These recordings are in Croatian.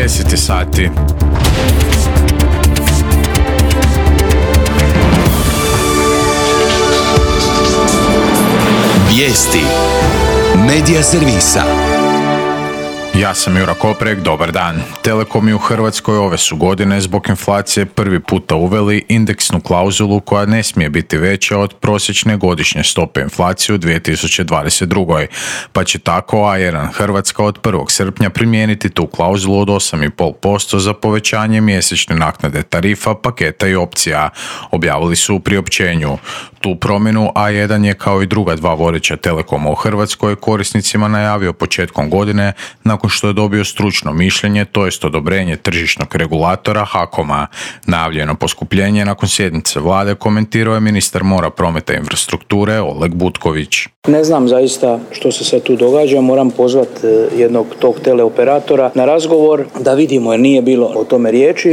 10 sati. Vijesti Medija servisa. Ja sam Jura Koprek, dobar dan. Telekomi u Hrvatskoj ove su godine zbog inflacije prvi puta uveli indeksnu klauzulu koja ne smije biti veća od prosječne godišnje stope inflacije u 2022. Pa će tako A1 Hrvatska od 1. srpnja primijeniti tu klauzulu od 8,5% za povećanje mjesečne naknade tarifa, paketa i opcija, objavili su u priopćenju. Tu promjenu A1 je kao i druga dva vodeća telekoma u Hrvatskoj korisnicima najavio početkom godine nakon što je dobio stručno mišljenje, to jest odobrenje tržišnog regulatora HAKOM-a. Najavljeno poskupljenje nakon sjednice vlade komentirao je ministar mora, prometa i infrastrukture Oleg Butković. Ne znam zaista što se sad tu događa, moram pozvati jednog tog teleoperatora na razgovor da vidimo, jer nije bilo o tome riječi,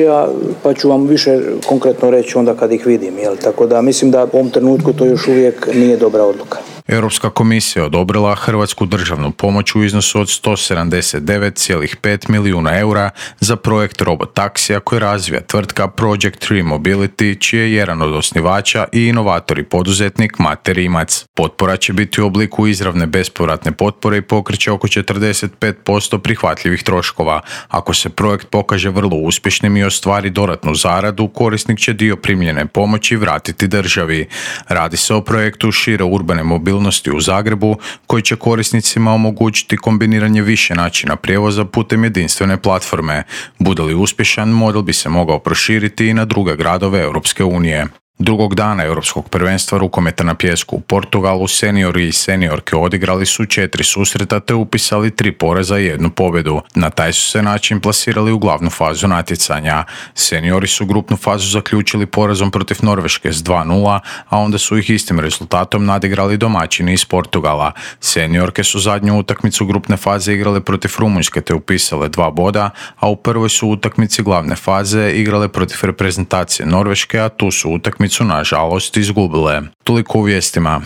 pa ću vam više konkretno reći onda kad ih vidim. Tako da mislim da u ovom trenutku to još uvijek nije dobra odluka. Europska komisija odobrila hrvatsku državnu pomoć u iznosu od 179,5 milijuna eura za projekt robotaksija koji razvija tvrtka Project 3 Mobility, čiji je jedan od osnivača i inovator i poduzetnik Mate Rimac. Potpora će biti u obliku izravne bespovratne potpore i pokreće oko 45% prihvatljivih troškova. Ako se projekt pokaže vrlo uspješnim i ostvari dodatnu zaradu, korisnik će dio primljene pomoći vratiti državi. Radi se o projektu šire urbane mobilnosti u Zagrebu koji će korisnicima omogućiti kombiniranje više načina prijevoza putem jedinstvene platforme. Bude li uspješan, model bi se mogao proširiti i na druge gradove Europske unije. Drugog dana Europskog prvenstva rukometa na pijesku u Portugalu seniori i seniorke odigrali su 4 susreta te upisali 3 poraza i 1 pobjedu. Na taj su se način plasirali u glavnu fazu natjecanja. Seniori su grupnu fazu zaključili porazom protiv Norveške s 2:0, a onda su ih istim rezultatom nadigrali domaćini iz Portugala. Seniorke su zadnju utakmicu grupne faze igrale protiv Rumunjske te upisale 2 boda, a u prvoj su utakmici glavne faze igrale protiv reprezentacije Norveške, a tu su utakmicu nažalost izgubile. Toliko u vijestima.